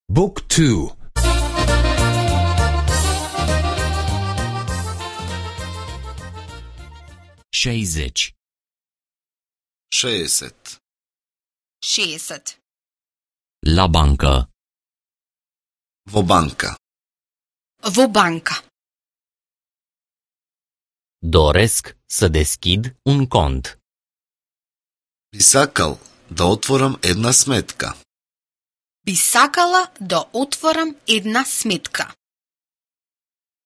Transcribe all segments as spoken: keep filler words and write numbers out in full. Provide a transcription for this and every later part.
Book two. șaizeci. šezdeset. šezdeset. La bancă. Во банка. Во банка. Doresc să deschid un cont. Би сакал да отворам една сметка. Би сакала да отворам една сметка.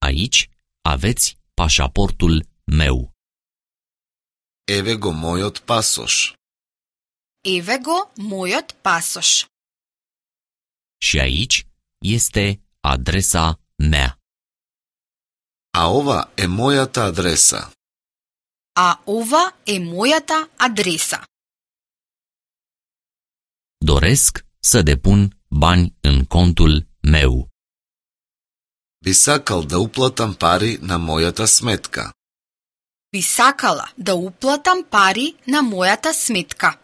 Aici aveți pașaportul meu. Еве го мојот пасош. Еве го мојот пасош. Și aici este adresa mea. А ова е мојата адреса. А ова е мојата адреса. Doresc să depun bani în contul meu. Би сакал да уплатам пари на мојата сметка. Би сакала да уплатам пари на мојата сметка.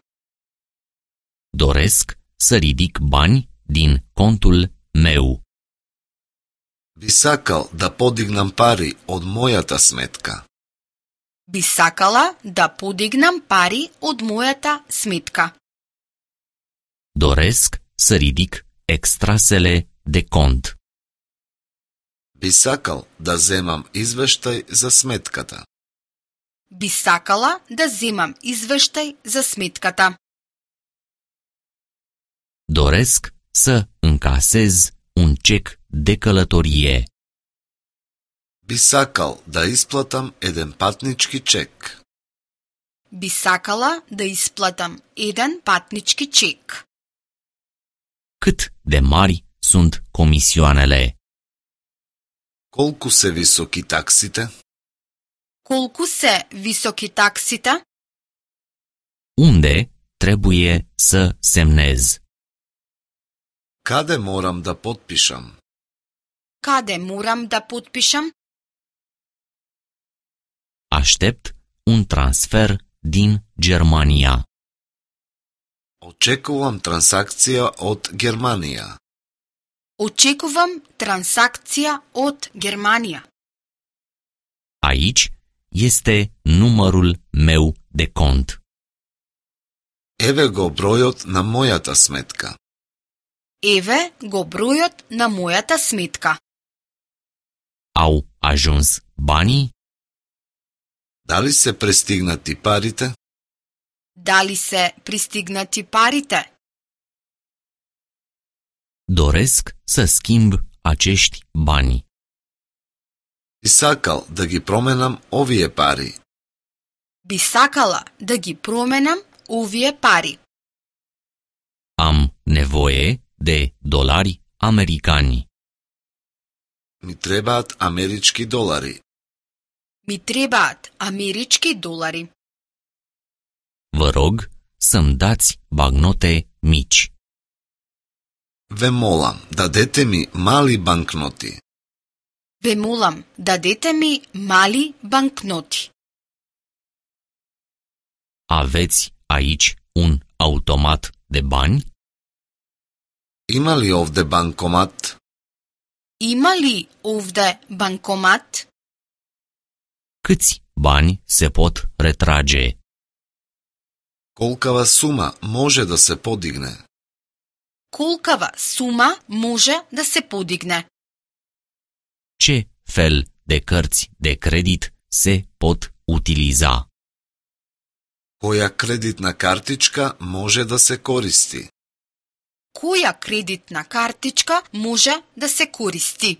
Doresc să ridic bani din contul meu. Би сакал да подигнам пари од мојата сметка. Би сакала да подигнам пари од мојата сметка. Doresc să ridic extrasele de cont. Би сакал да земам извештај за сметката. Би сакала да земам извештај за сметката. Doresc să încasez un cec de călătorie. Би сакал да исплатам еден патнички чек. Би сакала да исплатам еден патнички чек. Cât de mari sunt comisioanele? Колку се високи таксите? Колку се високи таксите? Unde trebuie să semnez? Каде морам да потпишам? Каде морам да потпишам? Aștept un transfer din Germania. Очекувам трансакција од Германија. Очекувам трансакција од Германија. Aici este numărul meu de cont. Еве го бројот на мојата сметка. Еве го бројот на мојата сметка. Au ajuns banii? Дали се пристигнати парите? Дали се пристигнати парите? Doresc să schimb acești bani. Би сакал да ги променам овие пари. Би сакала да ги променам овие пари. Am nevoie de dolari americani. Ми требаат амерички долари. Ми требаат амерички долари. Vă rog să-mi dați bagnote mici. Ве молам, дадете ми мали банкноти. Ве молам, дадете ми мали банкноти. Aveți aici un automat de bani? Има ли овде банкомат? Има ли овде банкомат? Câți bani se pot retrage? Колкава сума може да се подигне? Колкава сума може да се подигне? Ce fel de cărți de credit se pot utiliza? Која кредитна картичка може да се користи? Која кредитна картичка може да се користи?